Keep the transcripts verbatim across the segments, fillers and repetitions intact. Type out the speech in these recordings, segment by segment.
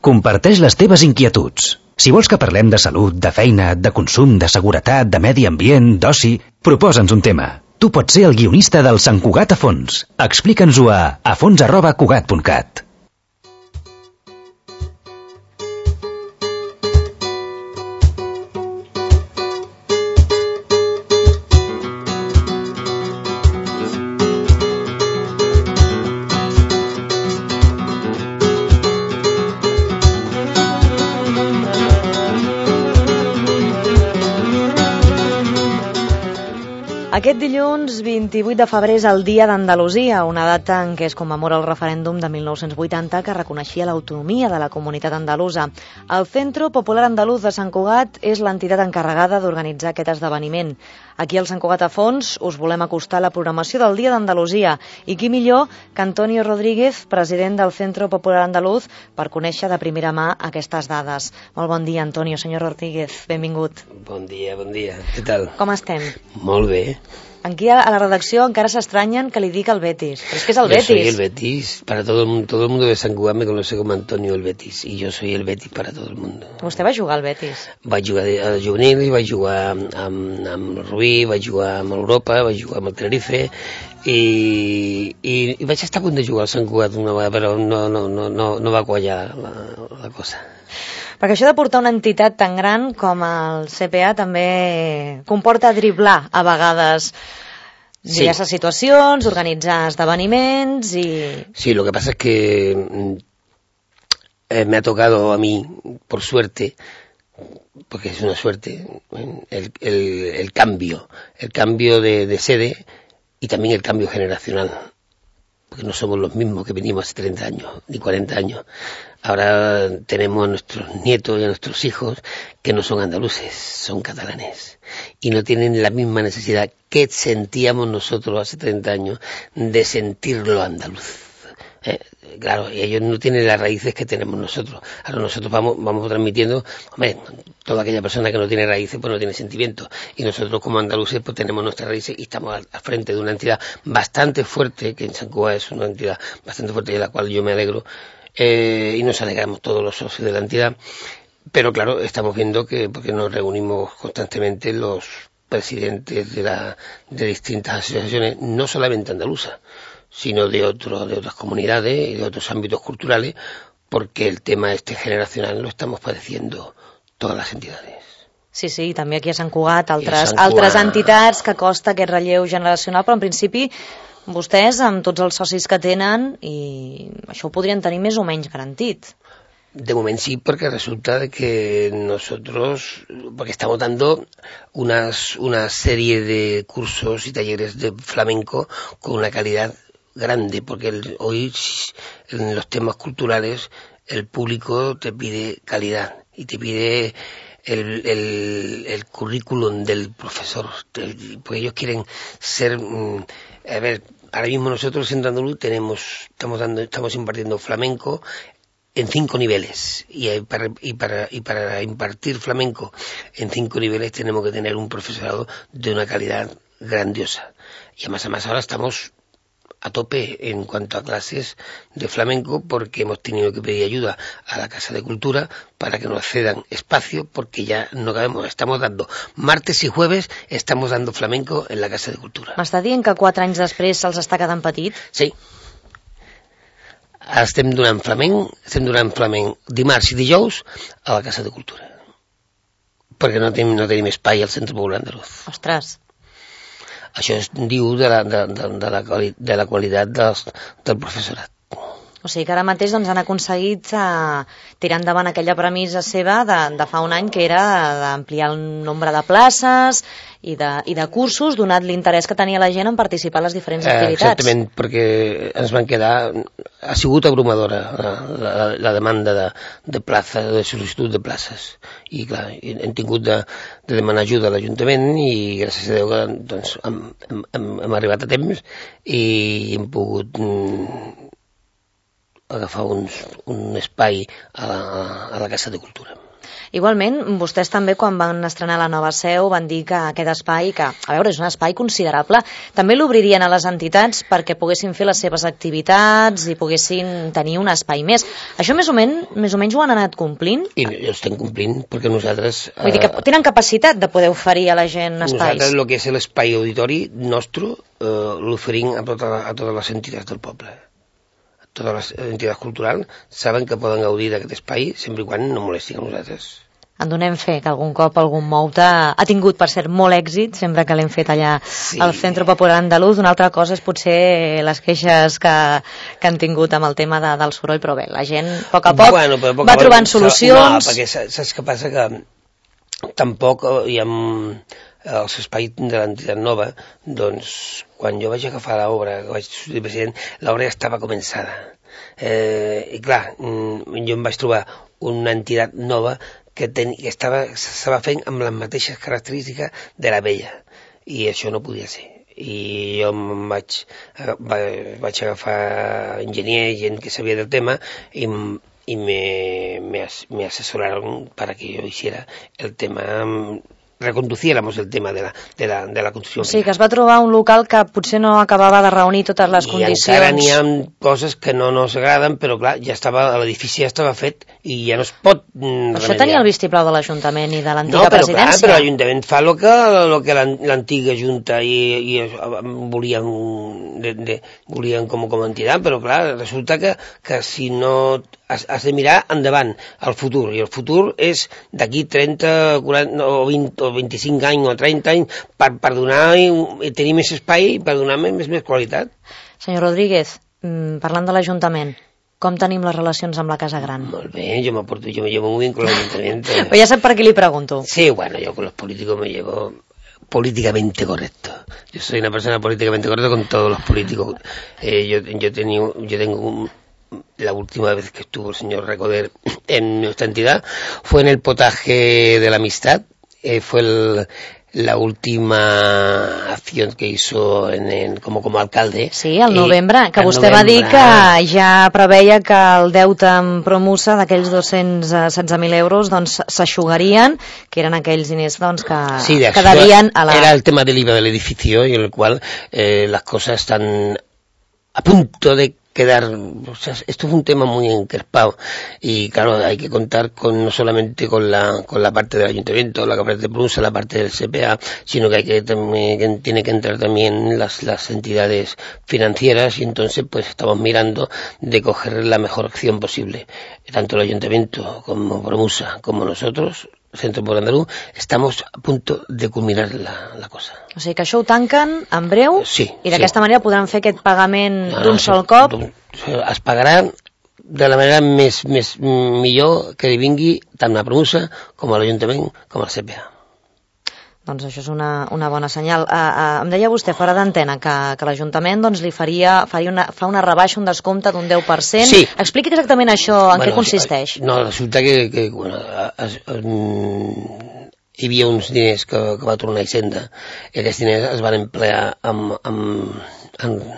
Comparteix les teves inquietuds. Si vols que parlem de salut, de feina, de consum, de seguretat, de medi ambient, d'oci, proposa'ns un tema. Tu pots ser el guionista del Sant Cugat a fons. Explica'ns-ho a afons arroba cugat punt cat. Aquest dilluns vint-i-vuit de febrer és el Dia d'Andalusia, una data en què es commemora el referèndum de mil nou-cents vuitanta que reconeixia l'autonomia de la comunitat andalusa. El Centro Popular Andaluz de Sant Cugat és l'entitat encarregada d'organitzar aquest esdeveniment. Aquí al Sant Cugat a fons us volem acostar la programació del Dia d'Andalusia i qui millor que Antonio Rodríguez, president del Centro Popular Andaluz, per conèixer de primera mà aquestes dades. Molt bon dia, Antonio. Senyor Rodríguez, benvingut. Bon dia, bon dia. Què tal? Com estem? Molt bé. Aquí a la redacció encara s'estranyen que li dic el Betis. Però és que és el yo Betis. Yo soy el Betis. Para todo el mundo, todo el mundo de Sant Cugat me conoce como Antonio el Betis. Y yo soy el Betis para todo el mundo. Vostè va jugar al Betis? Vaig jugar al juvenil, vaig jugar amb, amb, amb el Rubí, vaig jugar amb l'Europa, vaig jugar amb el Tenerife i, i, i vaig estar a punt de jugar al Sant Cugat una vegada, però no, no, no, no, no va quallar la, la cosa. Perquè això de portar una entitat tan gran com el C P A també comporta driblar a vegades diverses sí. situacions, organitzar esdeveniments y... Sí, lo que pasa es que eh, me ha tocado a mí, por suerte, porque es una suerte, el, el, el cambio, el cambio de, de sede y también el cambio generacional. Porque no somos los mismos que venimos hace treinta años, ni cuarenta años. Ahora tenemos a nuestros nietos y a nuestros hijos que no son andaluces, son catalanes. Y no tienen la misma necesidad que sentíamos nosotros hace treinta años de sentirlo andaluz. Eh, claro, y ellos no tienen las raíces que tenemos nosotros. Ahora nosotros vamos, vamos transmitiendo, hombre, toda aquella persona que no tiene raíces pues no tiene sentimientos. Y nosotros como andaluces pues tenemos nuestras raíces y estamos al, al frente de una entidad bastante fuerte, que en Sant Cugat es una entidad bastante fuerte y de la cual yo me alegro, eh, y nos alegramos todos los socios de la entidad. Pero claro, estamos viendo que, porque nos reunimos constantemente los presidentes de, la, de distintas asociaciones, no solamente andaluzas, sino de, otro, de otras comunidades y de otros ámbitos culturales, porque el tema este generacional lo estamos padeciendo todas les entitats. Sí, sí, i també aquí a Sant Cugat, altres, Sant Cugat... altres entitats que costa aquest relleu generacional, però en principi vostès, amb tots els socis que tenen, i això ho podrien tenir més o menys garantit. De momento sí, porque resulta de que nosotros, porque estamos dando unas, una serie de cursos y talleres de flamenco con una calidad grande, porque el, hoy en los temas culturales el público te pide calidad y te pide el, el, el currículum del profesor, porque ellos quieren ser, a ver, ahora mismo nosotros en Andaluz tenemos, estamos dando, estamos impartiendo flamenco en cinco niveles y para, y para y para impartir flamenco en cinco niveles tenemos que tener un profesorado de una calidad grandiosa y además, además ahora estamos a tope en cuanto a clases de flamenco porque hemos tenido que pedir ayuda a la Casa de Cultura para que nos cedan espacio porque ya no cabemos. Estamos dando martes i jueves, estamos dando flamenco en la Casa de Cultura. M'està dient que quatre anys després se'ls està quedant petit? Sí. Estem donant flamenc, estem donant flamenc dimarts i dijous a la Casa de Cultura. Perquè no tenim, no tenim espai al Centre Popular Andaluz. Ostres. Això es diu de la, de, de, de la, de la qualitat dels, del professorat. O sigui que ara mateix doncs, han aconseguit uh, tirar endavant aquella premissa seva de, de fa un any, que era d'ampliar el nombre de places i de, i de cursos, donat l'interès que tenia la gent en participar en les diferents activitats. Eh, exactament, perquè ens van quedar... Ha sigut abrumadora la, la, la demanda de, de plaça, de sol·licitud de places. I clar, hem tingut de, de demanar ajuda a l'Ajuntament i gràcies a Déu que doncs, hem, hem, hem arribat a temps i hem pogut agafar uns, un espai a la, a la Casa de Cultura. Igualment, vostès també quan van estrenar la nova seu van dir que aquest espai, que a veure, és un espai considerable, també l'obririen a les entitats perquè poguessin fer les seves activitats i poguessin tenir un espai més. Això més o menys, més o menys ho han anat complint? I ho estem complint perquè nosaltres... Vull dir que tenen capacitat de poder oferir a la gent espais. Nosaltres el que és l'espai auditori nostre eh, l'oferim a, tota, a totes les entitats del poble. Totes les entitats culturals saben que poden gaudir d'aquest espai sempre i quan no molestin a nosaltres. En donem fe que algun cop algun moute ha tingut, per cert, molt èxit, sempre que l'hem fet allà sí. al Centre Popular Andalús. Una altra cosa és potser les queixes que, que han tingut amb el tema de, del soroll, però bé, la gent a poc a poc bueno, a poc va trobant solucions. No, perquè saps què passa? Que tampoc hi ha els espais de l'entitat nova, doncs quan jo vaig agafar l'obra, que vaig ser president, l'obra ja estava començada. Eh, I clar, jo em vaig trobar una entitat nova que, ten, que estava, estava fent amb les mateixes característiques de la vella, i això no podia ser. I jo em vaig, vaig agafar enginyers, gent que sabia del tema, i y me, me, me asesoraron para que yo hiciera el tema, reconduciéramos el tema de la, de la, de la construcció. Sí, que es va trobar un local que potser no acabava de reunir totes les I condicions. I encara n'hi ha coses que no nos agraden, però clar, ja estava, l'edifici ja estava fet i ja no es pot mm, remediar. Això tenia el vistiplau de l'Ajuntament i de l'antiga no, però, presidència. Clar, però l'Ajuntament fa el que, lo que l'antiga Junta i, i volien, de, de, volien com, com a entitat, però clar, resulta que, que si no has, has de mirar endavant, al futur, i el futur és d'aquí trenta, quaranta o vint o vint-i-cinc anys o trenta anys per, per donar i tenir més espai i per donar més, més qualitat. Senyor Rodríguez, parlant de l'Ajuntament, com tenim les relacions amb la Casa Gran? Molt bé, yo me porto, yo me llevo muy bien con el Ayuntamiento. Pues ya sé per què li pregunto. Sí, bueno, yo con los políticos me llevo políticamente correcto. Yo soy una persona políticamente correcta con todos los políticos. Eh, yo, yo, tengo, yo tengo un, la última vez que estuvo el señor Recoder en nuestra entidad fue en el potaje de la amistad. Eh, fue el, la última acción que hizo en, en, como, como alcalde. Sí, al novembre, que vostè novembre, va dir que ja preveia que el deute amb Promusa d'aquells dos-cents setze mil euros doncs s'aixugarien, que eren aquells diners doncs, que, sí, que devien a la... Era el tema del I V A del edificio y en el cual eh, las cosas están a punto de quedar, o sea, esto es un tema muy encrespado y claro, hay que contar con no solamente con la con la parte del ayuntamiento, la parte de Promusa, la parte del C P A, sino que hay que también que tiene que entrar también las las entidades financieras y entonces pues estamos mirando de coger la mejor acción posible, tanto el ayuntamiento como Promusa como nosotros. Centre Popular Andalús, estamos a punto de culminar la, la cosa. O sigui que això ho tanquen en breu sí, i d'aquesta sí. manera podran fer aquest pagament no, d'un no, sol sí, cop. Es pagarà de la manera més, més millor que li vingui tant a Promusa com a l'Ajuntament com al C P A. Doncs això és una, una bona senyal. Uh, uh, em deia vostè fora d'antena que, que l'Ajuntament doncs, li faria, faria una, fa una rebaixa, un descompte d'un deu per cent. Sí. Expliqui exactament això, en bueno, què consisteix. No, resulta que, que bueno, es, es, hi havia uns diners que, que va tornar a Hisenda i aquests diners es van emplear amb, amb, amb,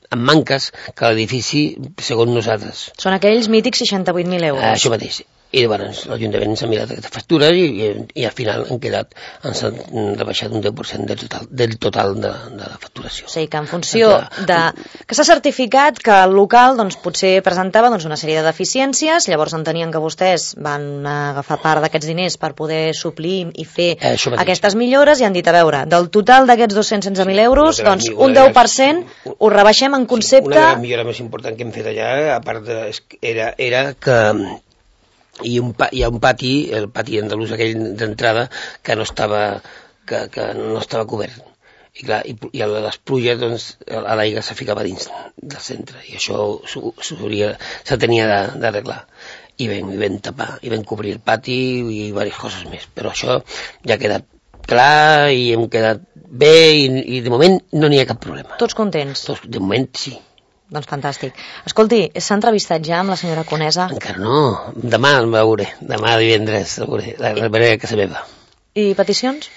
amb manques que l'edifici, segons nosaltres. Són aquells mítics seixanta-vuit mil euros. Uh, això mateix. I llavors l'Ajuntament s'ha mirat aquestes factures i, i, i al final han quedat, ens han rebaixat un deu per cent del total, del total de, de la facturació. O sigui que en funció de... que s'ha certificat que el local doncs, potser presentava doncs, una sèrie de deficiències, llavors entenien que vostès van agafar part d'aquests diners per poder suplir i fer eh, aquestes millores i han dit, a veure, del total d'aquests dos-cents setze mil euros, sí, doncs un deu per cent ho rebaixem en concepte... Una de les millores més importants que hem fet allà, a part de, era, era que i un, hi ha un pati, el pati andalús aquell d'entrada, que no estava que, que no estava cobert. I clar, i, i a les pluges, doncs, l'aigua se ficava dins del centre, i això se tenia d'arreglar. I vam, i vam tapar, i vam cobrir el pati i diverses coses més. Però això ja ha quedat clar i hem quedat bé i, i de moment no n'hi ha cap problema. Tots contents? Tots, de moment sí. Doncs fantàstic. Escolti, s'ha entrevistat ja amb la senyora Conesa? Encara no, demà el veuré, demà divendres el veuré, la veuré a casa meva. I peticions?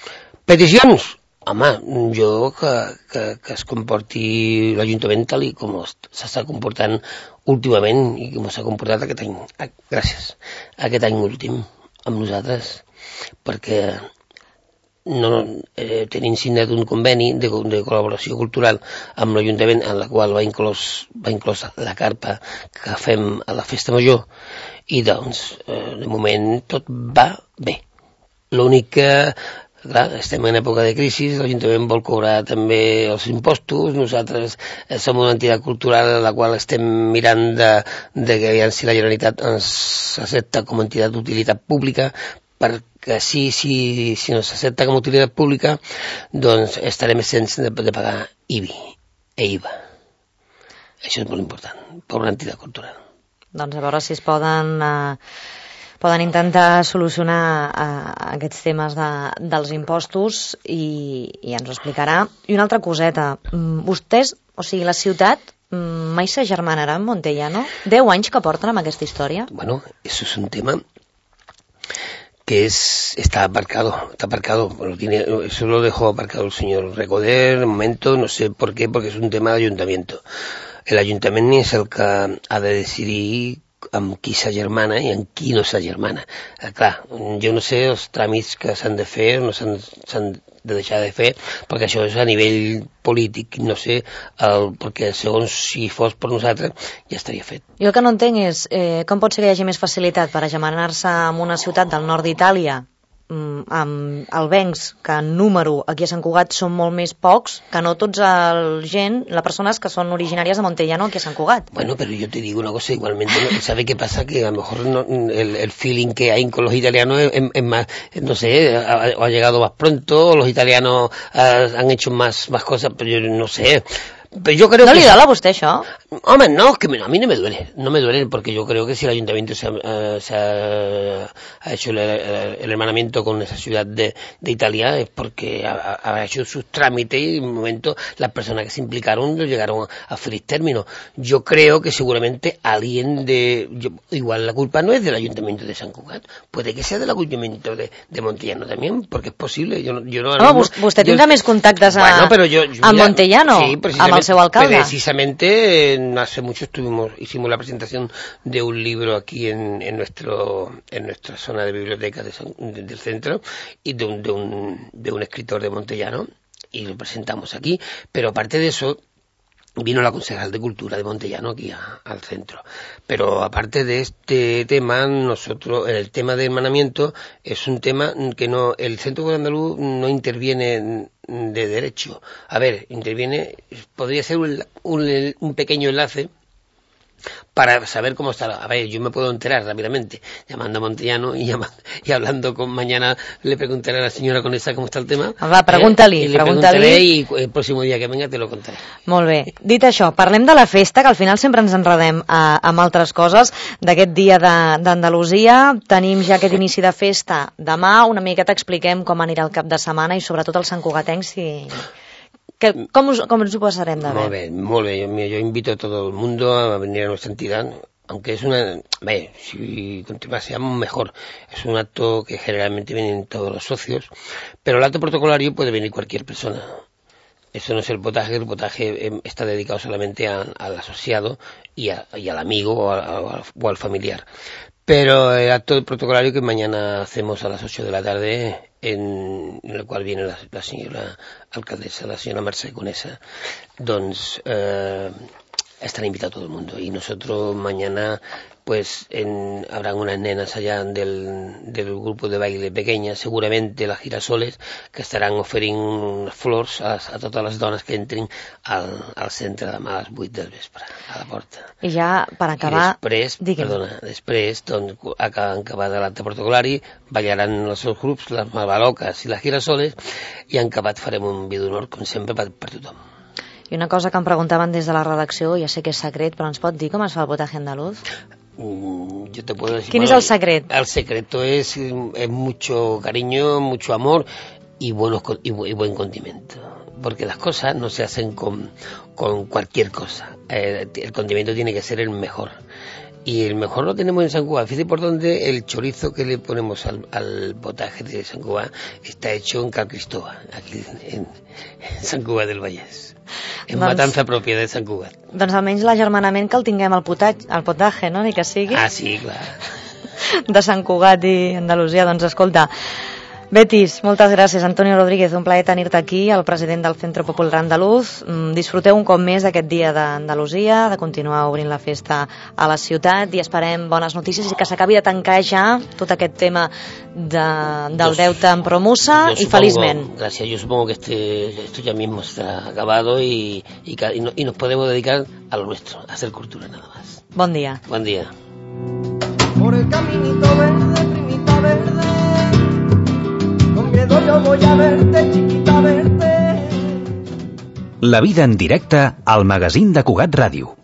Peticions? Home, jo que, que, que es comporti l'Ajuntament tal i com s'està comportant últimament i com s'ha comportat aquest any. Gràcies. Aquest any últim. amb nosaltres, perquè no, eh, tenim signat un conveni de, de col·laboració cultural amb l'Ajuntament, en la qual va inclòs, va inclòs la carpa que fem a la Festa Major, i doncs, eh, de moment tot va bé. L'únic que, clar, estem en època de crisi, l'Ajuntament vol cobrar també els impostos, nosaltres eh, som una entitat cultural en la qual estem mirant de, de que si la Generalitat ens accepta com a entitat d'utilitat pública, perquè si, si, si no s'accepta com a utilitat pública, doncs estarem sense de, de pagar I B I e I V A. Això és molt important per una entitat cultural. Doncs a veure si es poden, eh, poden intentar solucionar eh, aquests temes de, dels impostos i, i ens ho explicarà. I una altra coseta, vostès, o sigui, la ciutat mai s'agermanarà amb Montellano? Deu anys que porten amb aquesta història? Bueno, eso es un tema que es, está aparcado, está aparcado, lo tiene, eso lo dejó aparcado el señor Recoder, de momento, no sé por qué, porque es un tema de ayuntamiento. El ayuntament és el que ha de decidir amb qui s'agermana i amb qui no s'agermana. Eh, clar, jo no sé els tràmits que s'han de fer o no s'han de deixar de fer, perquè això és a nivell polític, no sé, el, perquè segons si fos per nosaltres ja estaria fet. Jo el que no entenc és eh, com pot ser que hi hagi més facilitat per agermanar-se amb una ciutat del nord d'Itàlia, amb albencs, que en número aquí a Sant Cugat són molt més pocs que no tots el gent, les persones que són originàries de Montellano aquí a Sant Cugat. Bueno, pero yo te digo una cosa, igualmente, ¿no? ¿Sabe qué pasa? Que a lo mejor no, el, el feeling que hay con los italianos es, es, es más, no sé, ha, ha llegado más pronto, los italianos uh, han hecho más, más cosas, pero yo no sé. Pero yo creo ¿No que le da a usted eso? Hombre, no, que a mí no me duele, no me duele, porque yo creo que si el ayuntamiento se ha, uh, se ha, ha hecho el, el hermanamiento con esa ciudad de, de Italia es porque ha, ha hecho sus trámites y en un momento las personas que se implicaron lo llegaron a, a feliz término. Yo creo que seguramente alguien de... Yo, igual la culpa no es del ayuntamiento de San Cugat, puede que sea del ayuntamiento de, de Montellano también, porque es posible. Yo, yo no, no, mismo, vostè tindrà més contactes a, bueno, pero yo, yo, a Montellano, sí, amb el seu alcalde. Precisamente hace mucho estuvimos, hicimos la presentación de un libro aquí en, en nuestro, en nuestra zona de biblioteca de San, de, del centro, y de un, de un, de un escritor de Montellano, y lo presentamos aquí, pero aparte de eso, vino la concejal de Cultura de Montellano aquí a, al centro. Pero aparte de este tema, nosotros, el tema de hermanamiento es un tema que no, el Centro de Andaluz no interviene de derecho. A ver, interviene, podría ser un, un, un pequeño enlace para saber cómo está. A ver, yo me puedo enterar rápidamente llamando a Montellano y, llamando, y hablando con mañana le preguntaré a la señora Conesa cómo está el tema. Va, pregunta-li, eh, y le preguntaré y el próximo dia que venga te lo contaré. Molt bé. Dit això, parlem de la festa, que al final sempre ens enredem a, amb altres coses, d'aquest dia d'Andalusia. Tenim ja aquest inici de festa demà, una miqueta expliquem com anirà el cap de setmana i sobretot els santcugatencs si... Que, ¿Cómo, ¿Cómo nos pasarem de ver? Muy bien, muy bien. Yo, yo invito a todo el mundo a venir a nuestra entidad, aunque es una... Ve, si continuásemos mejor. Es un acto que generalmente vienen todos los socios, pero el acto protocolario puede venir cualquier persona. Eso no es el potaje, el potaje está dedicado solamente a, al asociado y, a, y al amigo o, a, o al familiar. Pero el acto protocolario que mañana hacemos a las ocho de la tarde, en, en el cual viene la, la señora alcaldesa, la señora Mercè Conesa, doncs eh, estará invitado todo el mundo. Y nosotros mañana pues en, habrán unas nenas allá del, del grupo de baile pequeña, seguramente las girasoles, que estarán oferint flors a, a totes les dones que entrin al, al centre demà a les vuit del vespre, a la porta. I ja, per acabar... I després, digue'm. Perdona, després, doncs, en acabar de l'acte protocolari, ballaran els seus grups, les malvaloques i les girasoles, i en acabat farem un vi d'honor, com sempre, per, per tothom. I una cosa que em preguntaven des de la redacció, ja sé que és secret, però ens pot dir com es fa el potaje andaluz? Mm, yo te puedo decir, ¿Quién bueno, es el secreto? El secreto es, es mucho cariño, mucho amor y, buenos, y, y buen condimento. Porque las cosas no se hacen con, con cualquier cosa. Eh, el condimento tiene que ser el mejor. Y el mejor lo tenemos en San Cugat. Fíjate por dónde el chorizo que le ponemos al, al potaje de San Cugat está hecho en Cal Cristóbal, aquí en, en Sant Cugat del Vallès. En doncs, matança pròpia de Sant Cugat. Doncs almenys l'agermanament que el tinguem al potatge, al potatge, no? Ni que sigui. Ah, sí, clar. de Sant Cugat i Andalusia. Doncs escolta, Betis, moltes gràcies. Antonio Rodríguez, un plaer tenir-te aquí, el president del Centro Popular Andaluz. Disfruteu un cop més d'aquest dia d'Andalusia, de continuar obrint la festa a la ciutat i esperem bones notícies i que s'acabi de tancar ja tot aquest tema de, del deute amb Promusa y felizmente. Gracias, yo supongo que este, esto ya mismo está acabado y, y, y, no, y nos podemos dedicar a lo nuestro, a hacer cultura nada más. Bon día. Buen día. Por el caminito verde, primita verde, con miedo yo voy a verte, chiquita verte. La vida en directe al magazín de Cugat Ràdio.